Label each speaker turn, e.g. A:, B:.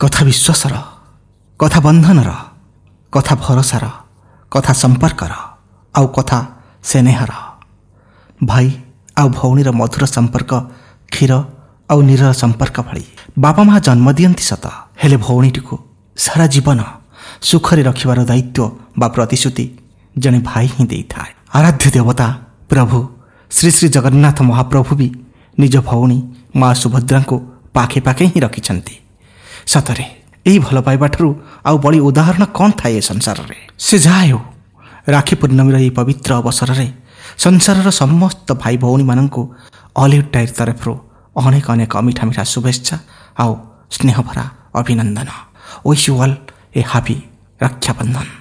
A: କଥା ବିଶ୍ୱାସର, କଥା ବନ୍ଧନର, କଥା ଭରସାର, କଥା ସମ୍ପର୍କର ଆଉ କଥା ସ୍ନେହର। ଭାଇ ଆଉ ଭଉଣୀର ମଧୁର ସମ୍ପର୍କ କ୍ଷୀର ଆଉ ନୀରର ସମ୍ପର୍କ ଭଳି। ବାପା ମା ଜନ୍ମ ଦିଅନ୍ତି ସତ, ହେଲେ ଭଉଣୀଟିକୁ ସାରା ଜୀବନ ସୁଖରେ ରଖିବାର ଦାୟିତ୍ୱ ବା ପ୍ରତିଶ୍ରୁତି ଜଣେ ଭାଇ ହିଁ ଦେଇଥାଏ। ଆରାଧ୍ୟ ଦେବତା ପ୍ରଭୁ ଶ୍ରୀ ଶ୍ରୀ ଜଗନ୍ନାଥ ମହାପ୍ରଭୁ ବି ନିଜ ଭଉଣୀ ମା ସୁଭଦ୍ରାଙ୍କୁ ପାଖେ ପାଖେ ହିଁ ରଖିଛନ୍ତି। ସତରେ ଏହି ଭଲ ପାଇବାଠାରୁ ଆଉ ବଳି ଉଦାହରଣ କ'ଣ ଥାଏ ଏ ସଂସାରରେ? ସେ ଯାହା ହେଉ, ରାକ୍ଷୀ ପୂର୍ଣ୍ଣମୀର ଏହି ପବିତ୍ର ଅବସରରେ ସଂସାରର ସମସ୍ତ ଭାଇ ଭଉଣୀମାନଙ୍କୁ ଅଲିଉଡ୍ ଟାଇର୍ ତରଫରୁ ଅନେକ ଅନେକ ମିଠା ମିଠା ଶୁଭେଚ୍ଛା ଆଉ ସ୍ନେହଭରା ଅଭିନନ୍ଦନ। Wish you all a happy Rakshabandhan.